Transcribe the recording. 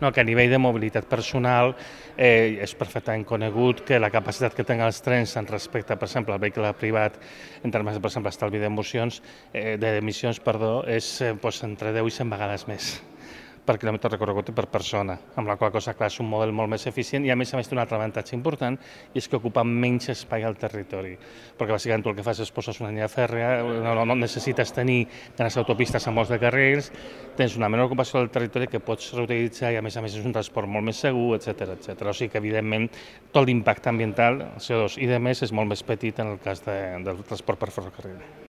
No, que a nivell de mobilitat personal és perfectament conegut que la capacitat que tenen els trens en respecte, per exemple, al vehicle privat, en termes de, per exemple, estalvi d'emissions, és entre 10 i 100 vegades més per quilòmetre recorregut i per persona, amb la qual cosa, clar, és un model molt més eficient i a més té un altre avantatge important i és que ocupa menys espai al territori, perquè bàsicament tu el que fas és poses una línia fèrrea, no necessites tenir grans autopistes amb molts de carrils, tens una menor ocupació del territori que pots reutilitzar i a més és un transport molt més segur, etc. O sigui que evidentment tot l'impacte ambiental, CO2 i de més, és molt més petit en el cas del transport per ferrocarril.